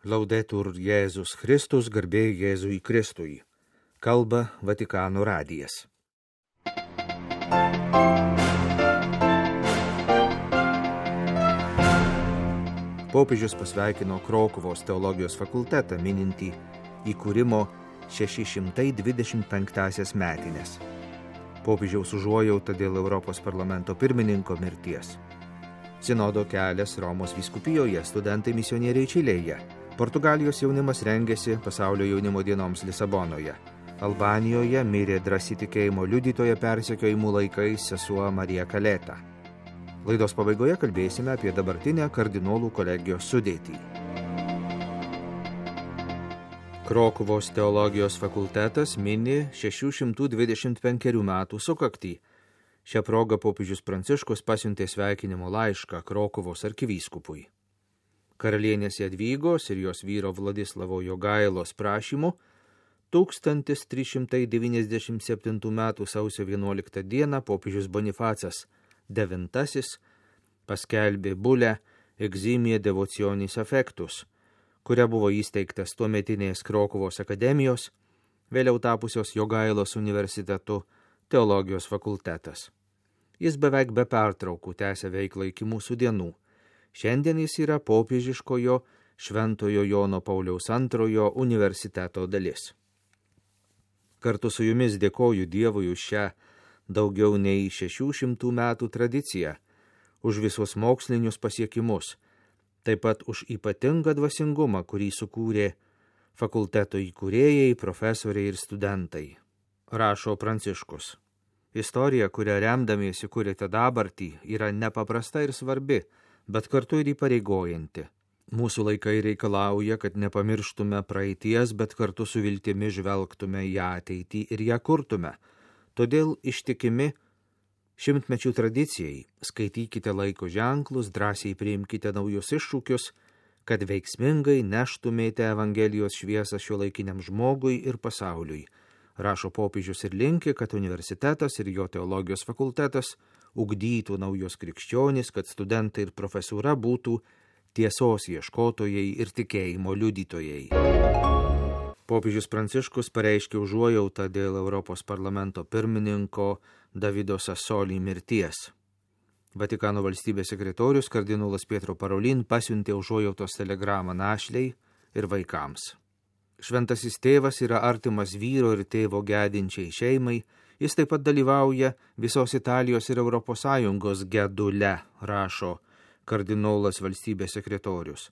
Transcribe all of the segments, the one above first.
Laudetur Jėzus Kristus, garbė Jėzui Kristui. Kalba Vatikano radijas. Popiežius pasveikino Krokuvos teologijos fakultetą, minintį įkūrimo 625 metinės. Popiežiaus užuojauta dėl Europos parlamento pirmininko mirties. Sinodo kelias Romos vyskupijoje, studentai misionieriai Čilėje. Portugalijos jaunimas rengėsi pasaulio jaunimo dienoms Lisabonoje. Albanijoje mirė drąsi tikėjimo liudytoja persekiojimų laikais sesuo Marija Kaleta. Laidos pabaigoje kalbėsime apie dabartinę kardinolų kolegijos sudėtį. Krokuvos teologijos fakultetas mini 625 metų sukaktį. Šią progą popiežius Pranciškus pasiuntė sveikinimo laišką Krokuvos arkivyskupui. Karalienės Jadvygos ir jos vyro Vladislavo Jogailos prašymu 1397 metų sausio 11 dieną popiežius Bonifacas IX paskelbė bulę Eximie Devotionis Affectus, kuria buvo įsteigtas tuometinės Krokuvos akademijos, vėliau tapusios Jogailos universitetu teologijos fakultetas. Jis beveik be pertraukų tęsia veiklą iki mūsų dienų. Šiandien jis yra popiežiškojo Šventojo Jono Pauliaus II universiteto dalis. Kartu su jumis dėkoju Dievui už šią daugiau nei 600 metų tradiciją, už visus mokslinius pasiekimus, taip pat už ypatingą dvasingumą, kurį sukūrė fakulteto įkūrėjai, profesoriai ir studentai. Rašo Pranciškus. Istorija, kurią remdamiesi kūrėte dabartį, yra nepaprasta ir svarbi, bet kartu ir įpareigojanti. Mūsų laikai reikalauja, kad nepamirštume praeities, bet kartu su viltimi žvelgtume į ateitį ir ją kurtume. Todėl ištikimi šimtmečių tradicijai skaitykite laiko ženklus, drąsiai priimkite naujus iššūkius, kad veiksmingai neštumėte Evangelijos šviesą šiuolaikiniam žmogui ir pasauliui. Rašo popiežius ir linki, kad universitetas ir jo teologijos fakultetas ugdytų naujos krikščionys, kad studentai ir profesūra būtų tiesos ieškotojai ir tikėjimo liudytojai. Popiežius Pranciškus pareiškė užuojautą dėl Europos parlamento pirmininko Davido Sassoli mirties. Vatikano valstybės sekretorius kardinolas Pietro Parolin pasiuntė užuojautos telegramą našlei ir vaikams. Šventasis tėvas yra artimas vyro ir tėvo gedinčiai šeimai, jis taip pat dalyvauja visos Italijos ir Europos Sąjungos gedule, rašo kardinolas valstybės sekretorius.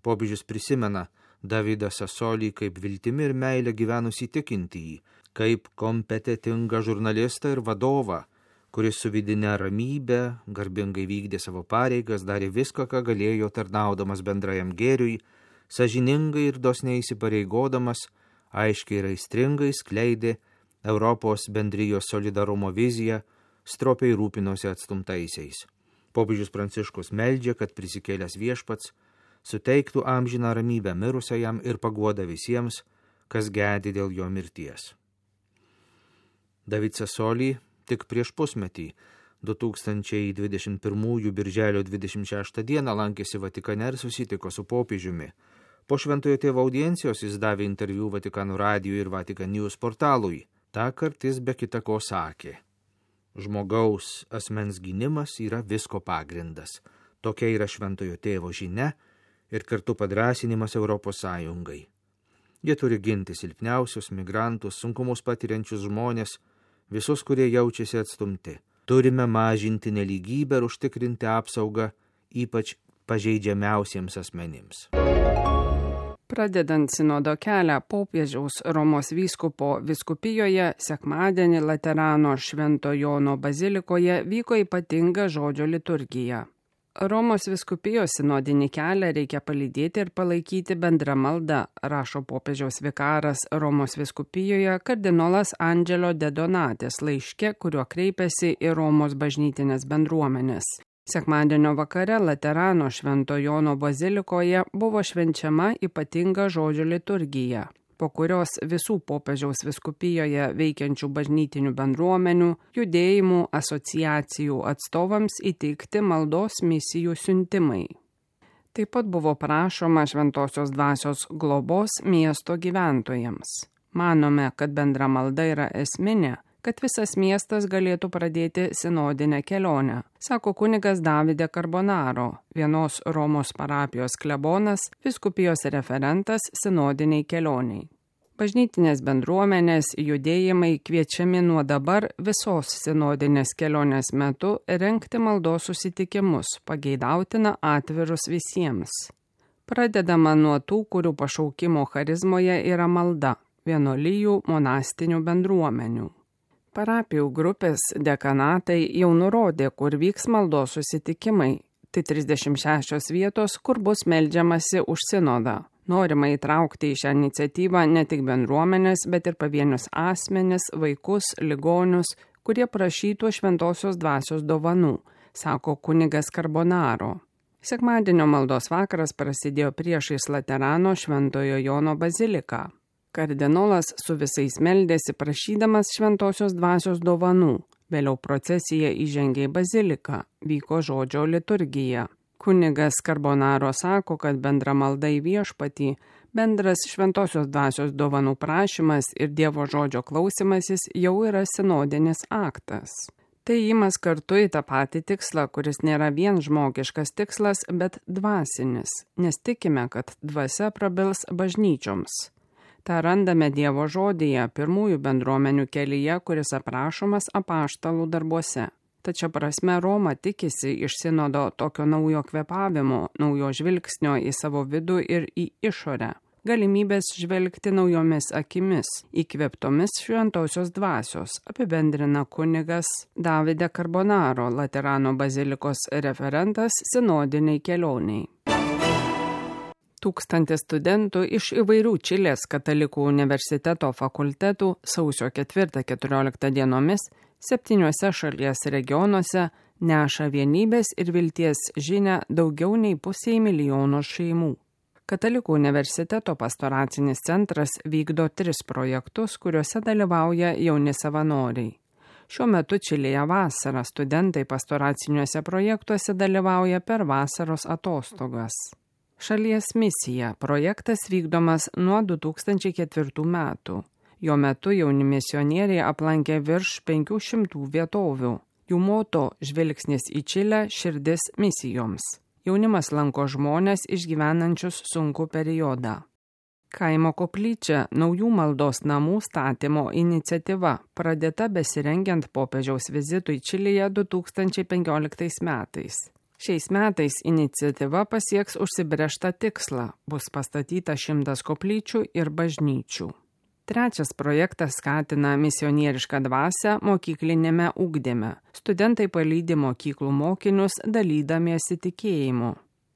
Popiežius prisimena Davidą Sassolį kaip viltimi ir meilę gyvenusį tikintįjį, kaip kompetitingą žurnalistą ir vadovą, kuris su vidine ramybe garbingai vykdė savo pareigas, darė viską, ką galėjo tarnaudamas bendrajam gėriui, sąžiningai ir dosniai įsipareigodamas, aiškiai ir aistringai skleidė Europos bendrijos solidarumo viziją, stropiai rūpinosi atstumtaisiais. Popiežius Pranciškus meldžia, kad prisikėlęs viešpats suteiktų amžiną ramybę mirusiajam ir paguodą visiems, kas gedi dėl jo mirties. David Sassoli tik prieš pusmetį, 2021 birželio 26 dieną lankėsi Vatikane ir susitiko su popiežiumi. Po Šventojo tėvo audiencijos jis davė interviu Vatikano radijui ir Vatican News portalui. Tąkart jis be kita ko sakė: žmogaus asmens gynimas yra visko pagrindas. Tokia yra Šventojo tėvo žinia ir kartu padrąsinimas Europos Sąjungai. Jie turi ginti silpniausius, migrantus, sunkumus patiriančius žmonės, visus, kurie jaučiasi atstumti. Turime mažinti nelygybę ir užtikrinti apsaugą ypač pažeidžiamiausiems asmenims. Pradedant sinodo kelią popiežiaus Romos vyskupo vyskupijoje, sekmadienį Laterano Švento Jono bazilikoje vyko ypatinga žodžio liturgija. Romos vyskupijos sinodinį kelią reikia palydėti ir palaikyti bendra malda, rašo popiežiaus vikaras Romos vyskupijoje kardinolas Angelo de Donatis laiške, kuriuo kreipėsi į Romos bažnytinės bendruomenės. Sekmadienio vakare Laterano Švento Jono bazilikoje buvo švenčiama ypatinga žodžio liturgija, po kurios visų popiežiaus vyskupijoje veikiančių bažnytinių bendruomenių, judėjimų, asociacijų atstovams įteikti maldos misijų siuntimai. Taip pat buvo prašoma šventosios dvasios globos miesto gyventojams. Manome, kad bendra malda yra esminė, kad visas miestas galėtų pradėti sinodinę kelionę, sako kunigas Davide Carbonaro, vienos Romos parapijos klebonas, vyskupijos referentas sinodiniai kelioniai. Bažnytinės bendruomenės judėjimai kviečiami nuo dabar visos sinodinės kelionės metu rengti maldos susitikimus, pageidautina atvirus visiems. Pradedama nuo tų, kurių pašaukimo charizmoje yra malda, vienuolijų monastinių bendruomenių. Parapijų grupės dekanatai jau nurodė, kur vyks maldos susitikimai. Tai 36 vietos, kur bus meldžiamasi už sinodą. Norima įtraukti į šią iniciatyvą ne tik bendruomenės, bet ir pavienius asmenis, vaikus, ligonius, kurie prašytų šventosios dvasios dovanų, sako kunigas Carbonaro. Sekmadienio maldos vakaras prasidėjo priešais Laterano Šventojo Jono baziliką. Kardinolas su visais meldėsi prašydamas šventosios dvasios dovanų. Vėliau procesija įžengė į baziliką, vyko žodžio liturgija. Kunigas Carbonaro sako, kad bendra malda į viešpatį, bendras šventosios dvasios dovanų prašymas ir Dievo žodžio klausimasis jau yra sinodinis aktas. Tai įmas kartu į tą patį tikslą, kuris nėra vien žmogiškas tikslas, bet dvasinis, nes tikime, kad dvasia prabils bažnyčioms. Ta randame Dievo žodyje pirmųjų bendruomenių kelyje, kuris aprašomas apaštalų darbuose. Tačiau prasme Roma tikisi iš sinodo tokio naujo kvėpavimo, naujo žvilgsnio į savo vidų ir į išorę, galimybės žvelgti naujomis akimis, įkvėptomis šventosios dvasios, apibendrina kunigas Davide Carbonaro, Laterano bazilikos referentas sinodiniai kelioniai. 1000 studentų iš įvairių Čilės katalikų universiteto fakultetų sausio 4-14 dienomis 7 šalies regionuose neša vienybės ir vilties žinią daugiau nei 500 milijono šeimų. Katalikų universiteto pastoracinis centras vykdo 3 projektus, kuriuose dalyvauja jauni savanoriai. Šiuo metu Čilėje vasarą studentai pastoraciniuose projektuose dalyvauja per vasaros atostogas. Šalies misija projektas vykdomas nuo 2004 metų. Jo metu jauni misionieriai aplankė virš 500 vietovių. Jų moto žvilgsnis į Čilę, širdis misijoms. Jaunimas lanko žmonės išgyvenančius sunkų periodą. Kaimo koplyčia naujų maldos namų statymo iniciatyva pradėta besirengiant popiežiaus vizitui Čilėje 2015 metais. Šiais metais iniciatyva pasieks užsibrėžtą tikslą, bus pastatyta 100 koplyčių ir bažnyčių. 3 projektas skatina misionierišką dvasią mokyklinėme ugdyme. Studentai palydi mokyklų mokinius dalydamiesi tikėjimu.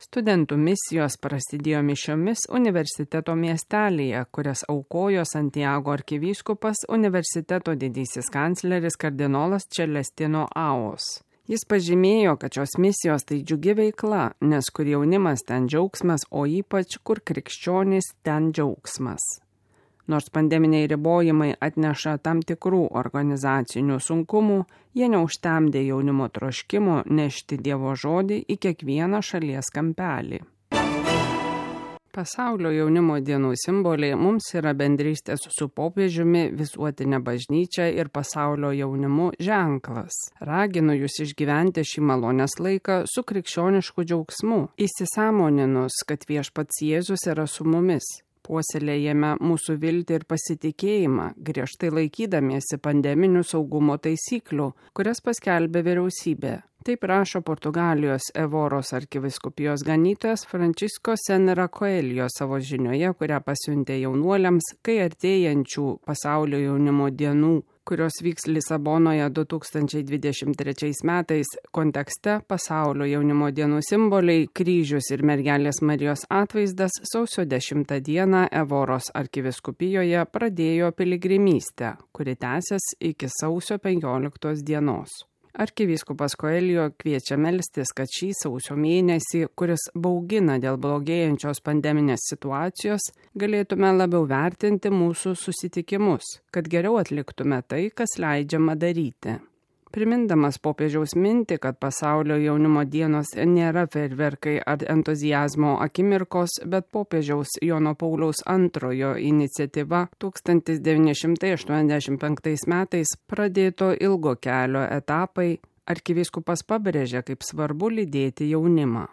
Studentų misijos prasidėjo mišiomis universiteto miestelėje, kurias aukojo Santiago arkivyskupas universiteto didysis kancleris kardinolas Celestino Aos. Jis pažymėjo, kad šios misijos tai džiugi veikla, nes kur jaunimas ten džiaugsmas, o ypač kur krikščionys ten džiaugsmas. Nors pandeminiai ribojimai atneša tam tikrų organizacinių sunkumų, jie neužtemdė jaunimo troškimo nešti Dievo žodį į kiekvieną šalies kampelį. Pasaulio jaunimo dienų simboliai mums yra bendrystės su popiežiumi, visuotinė bažnyčia ir pasaulio jaunimu ženklas. Raginu jūs išgyventi šį malonės laiką su krikščionišku džiaugsmu, įsisąmoninus, kad viešpats Jėzus yra su mumis. Puoselėjame mūsų viltį ir pasitikėjimą, griežtai laikydamiesi pandeminių saugumo taisyklių, kurias paskelbė vyriausybė. Taip rašo Portugalijos Evoros arkivyskupijos ganytojas Francisco Senra Coelho savo žinioje, kurią pasiuntė jaunuoliams, kai artėjančių pasaulio jaunimo dienų, kurios vyks Lisabonoje 2023 metais kontekste pasaulio jaunimo dienų simboliai, kryžius ir mergelės Marijos atvaizdas sausio 10 dieną Evoros arkiviskupijoje pradėjo piligrimystę, kuri tęsis iki sausio 15 dienos. Arkivyskupas Coelho kviečia melstis, kad šį sausio mėnesį, kuris baugina dėl blogėjančios pandeminės situacijos, galėtume labiau vertinti mūsų susitikimus, kad geriau atliktume tai, kas leidžiama daryti. Primindamas popiežiaus mintį, kad pasaulio jaunimo dienos nėra fejerverkai ar entuziazmo akimirkos, bet popiežiaus Jono Pauliaus II iniciatyva 1985 metais pradėto ilgo kelio etapai, arkivyskupas pabrėžė, kaip svarbu lydėti jaunimą.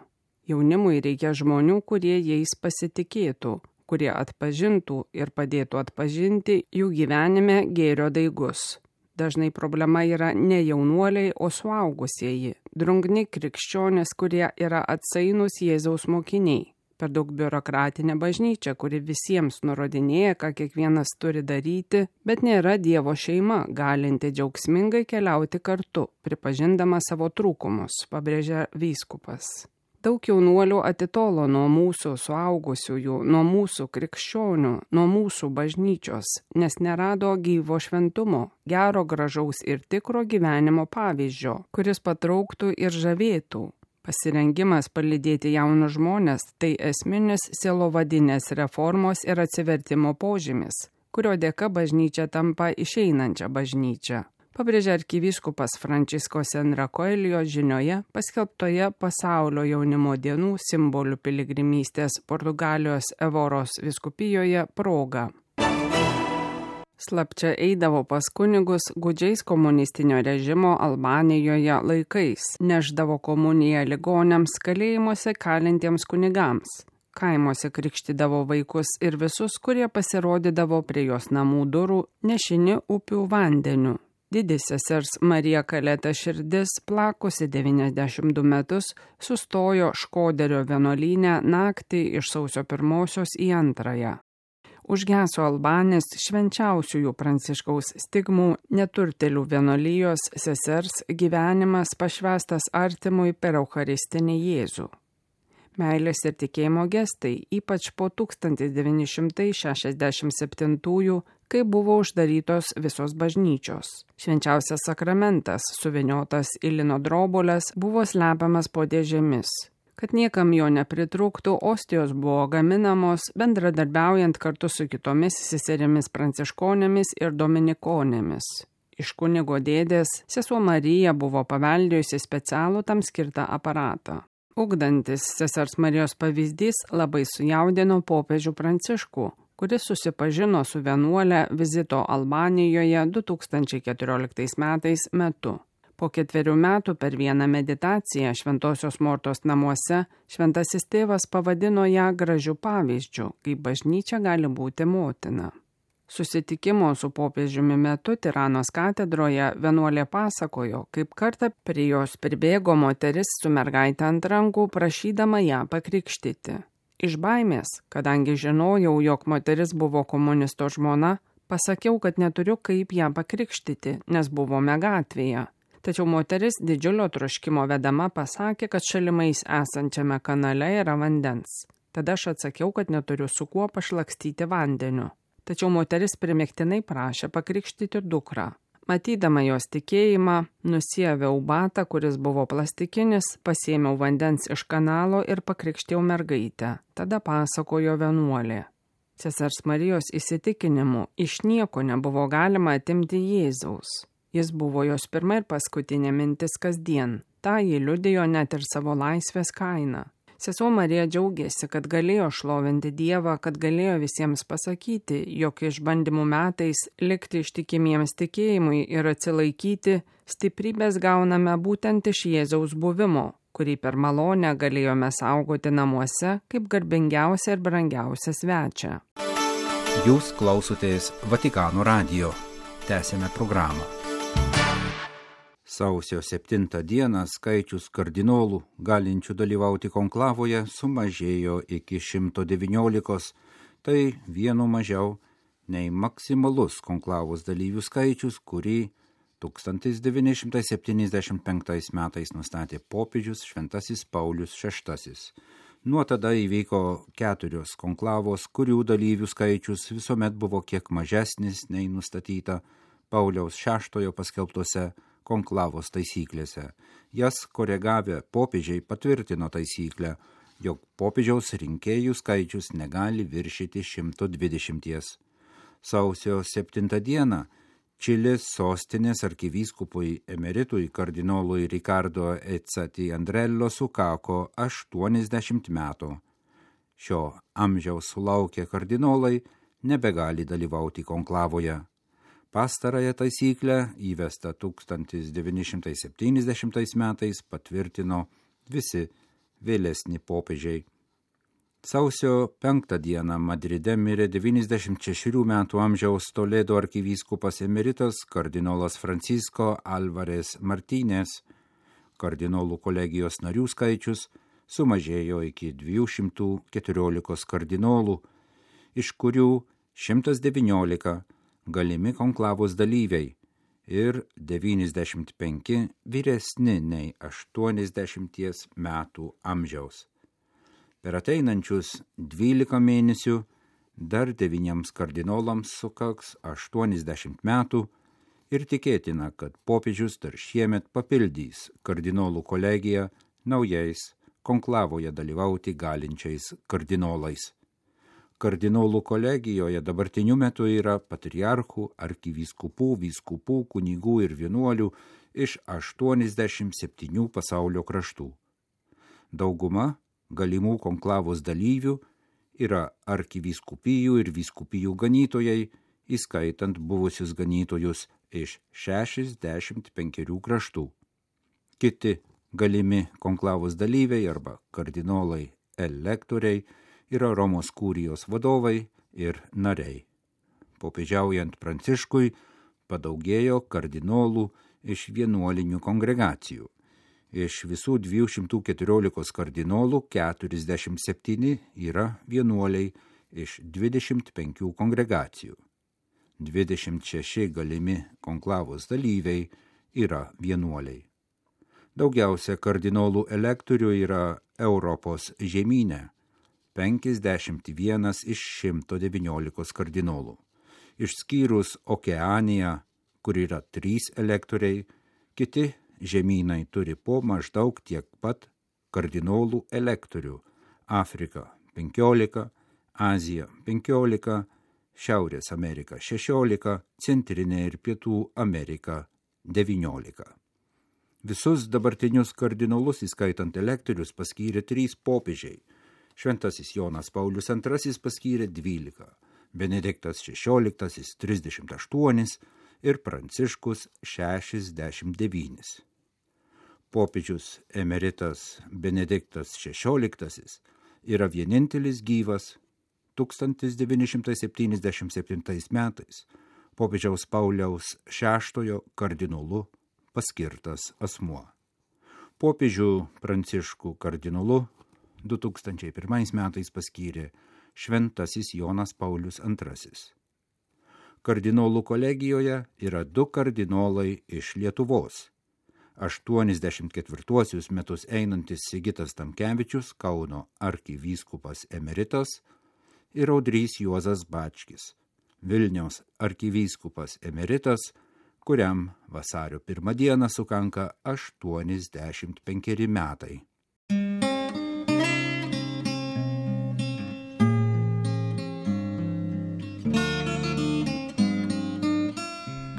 Jaunimui reikia žmonių, kurie jais pasitikėtų, kurie atpažintų ir padėtų atpažinti jų gyvenime gėrio daigus. Dažnai problema yra ne jaunuoliai, o suaugusieji, drungni krikščionys, kurie yra atsainūs Jėzaus mokiniai. Per daug biurokratinė bažnyčia, kuri visiems nurodinėja, ką kiekvienas turi daryti, bet nėra Dievo šeima, galinti džiaugsmingai keliauti kartu, pripažindama savo trūkumus, pabrėžia vyskupas. Daug jaunuolių atitolo nuo mūsų suaugusiųjų, nuo mūsų krikščionių, nuo mūsų bažnyčios, nes nerado gyvo šventumo, gero, gražaus ir tikro gyvenimo pavyzdžio, kuris patrauktų ir žavėtų. Pasirengimas palydėti jaunus žmonės – tai esminis sielovadinės reformos ir atsivertimo požymis, kurio dėka bažnyčia tampa išeinančia bažnyčia. Pabrėžia arkivyskupas Francisco Senra Coelho žinioje paskelbtoje pasaulio jaunimo dienų simbolių piligrimystės Portugalijos Evoros vyskupijoje proga. Slapčia eidavo pas kunigus gūdžiais komunistinio režimo Albanijoje laikais, neždavo komuniją ligoniams kalėjimuose kalintiems kunigams. Kaimuose krikštydavo vaikus ir visus, kurie pasirodydavo prie jos namų durų nešini upių vandeniu. Didi sesers Marija Kaleta širdis, plakusi 92 metus, sustojo Škoderio vienuolyne naktį iš sausio 1 į 2. Užgeso Albanės švenčiausiųjų Pranciškaus stigmų neturtėlių vienuolijos sesers gyvenimas pašvęstas artimui per Eucharistinį Jėzų. Meilės ir tikėjimo gestai, ypač po 1967, kai buvo uždarytos visos bažnyčios. Švenčiausias sakramentas, suviniotas į lino drobules, buvo slepiamas po dėžėmis. Kad niekam jo nepritrūktų, ostijos buvo gaminamos bendradarbiaujant kartu su kitomis seserimis pranciškonėmis ir dominikonėmis. Iš kunigo dėdės sesuo Marija buvo paveldėjusi specialų tam skirtą aparatą. Ugdantis sesers Marijos pavyzdys labai sujaudino popiežių Pranciškų, kuris susipažino su vienuole vizito Albanijoje 2014 metais metu. Po 4 metų per vieną meditaciją Šventosios Mortos namuose šventasis tėvas pavadino ją gražiu pavyzdžiu, kaip bažnyčia gali būti motina. Susitikimo su popiežiumi metu Tiranos katedroje vienuolė pasakojo, kaip kartą prie jos pribėgo moteris su mergaite ant rankų, prašydama ją pakrikštyti. Iš baimės, kadangi žinojau, jog moteris buvo komunisto žmona, pasakiau, kad neturiu kaip ją pakrikštyti, nes buvome gatvėje. Tačiau moteris didžiulio troškimo vedama pasakė, kad šalimais esančiame kanale yra vandens. Tada aš atsakiau, kad neturiu su kuo pašlakstyti vandeniu. Tačiau moteris primiktinai prašė pakrikštyti dukrą. Matydama jos tikėjimą, nusieviau batą, kuris buvo plastikinis, pasėmiau vandens iš kanalo ir pakrikštėjau mergaitę. Tada pasakojo vienuolė. Sesers Marijos įsitikinimu, iš nieko nebuvo galima atimti Jėzaus. Jis buvo jos pirma ir paskutinė mintis kasdien. Ta ji liudijo net ir savo laisvės kainą. Sesuo Marija džiaugiasi, kad galėjo šlovinti Dievą, kad galėjo visiems pasakyti, jog išbandymų metais likti ištikimiems tikėjimui ir atsilaikyti, stiprybės gauname būtent iš Jėzaus buvimo, kurį per malonę galėjome saugoti namuose kaip garbingiausią ir brangiausią svečią. Jūs klausotės Vatikano radijo. Tęsėme programą. Sausio 7 dieną skaičius kardinolų, galinčių dalyvauti konklavoje, sumažėjo iki 119, tai vienu mažiau nei maksimalus konklavos dalyvių skaičius, kurį 1975 metais nustatė popiežius Šventasis Paulius VI. Nuo tada įvyko 4 konklavos, kurių dalyvių skaičius visuomet buvo kiek mažesnis nei nustatyta Pauliaus VI paskelbtose konklavos taisyklėse. Jas koregavę popiežiai patvirtino taisyklę, jog popiežiaus rinkėjų skaičius negali viršyti 120. Sausio 7 dieną Čilės sostinės arkivyskupui emeritui kardinolui Ricardo Ezzati Andrello sukako 80 metų. Šio amžiaus sulaukę kardinolai nebegali dalyvauti konklavoje. Pastarąją taisyklę įvestą 1970 metais patvirtino visi vėlesni popiežiai. Sausio 5 dieną Madride mirė 96 metų amžiaus Toledo arkivyskupas emeritas kardinolas Francisco Alvarez Martínez. Kardinolų kolegijos narių skaičius sumažėjo iki 214 kardinolų, iš kurių 119 galimi konklavos dalyviai ir 95 vyresni nei 80 metų amžiaus. Per ateinančius 12 mėnesių dar 9 kardinolams sukaks 80 metų ir tikėtina, kad popiežius dar šiemet papildys kardinolų kolegiją naujais konklavoje dalyvauti galinčiais kardinolais. Kardinolų kolegijoje dabartiniu metu yra patriarchų, arkivyskupų, vyskupų, kunigų ir vienuolių iš 87 pasaulio kraštų. Dauguma galimų konklavos dalyvių yra arkivyskupijų ir vyskupijų ganytojai, įskaitant buvusius ganytojus iš 65 kraštų. Kiti galimi konklavos dalyviai arba kardinolai elektoriai yra Romos kurijos vadovai ir nariai. Popiežiaujant Pranciškui padaugėjo kardinolų iš vienuolinių kongregacijų. Iš visų 214 kardinolų 47 yra vienuoliai iš 25 kongregacijų. 26 galimi konklavos dalyviai yra vienuoliai. Daugiausia kardinolų elektorių yra Europos žemyne, 51 iš 119 kardinolų. Išskyrus Okeaniją, kur yra 3 elektoriai, kiti žemynai turi po maždaug tiek pat kardinolų elektorių. Afrika 15, Azija 15, Šiaurės Amerika 16, Centrinė ir Pietų Amerika 19. Visus dabartinius kardinolus, įskaitant elektorius, paskyrė 3 popiežiai. Šventasis Jonas Paulius II paskyrė 12, Benediktas XVI 38 ir Pranciškus 69. Popiežius emeritas Benediktas XVI yra vienintelis gyvas 1977 metais popiežiaus Pauliaus VI kardinolu paskirtas asmuo. Popiežių Pranciškų kardinolu 2001 metais paskyrė Šventasis Jonas Paulius II. Kardinolų kolegijoje yra 2 kardinolai iš Lietuvos. 84 metus einantis Sigitas Tamkevičius, Kauno arkivyskupas emeritas, ir Audrys Juozas Bačkis, Vilniaus arkivyskupas emeritas, kuriam vasario 1 dieną sukanka 85 metai.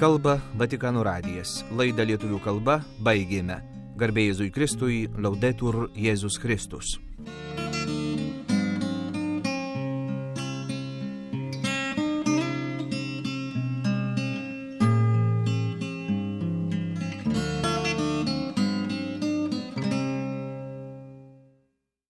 Kalba Vatikano radijas. Laidą lietuvių kalba baigėme. Garbė Jėzui Kristui, Laudetur Jėzus Kristus.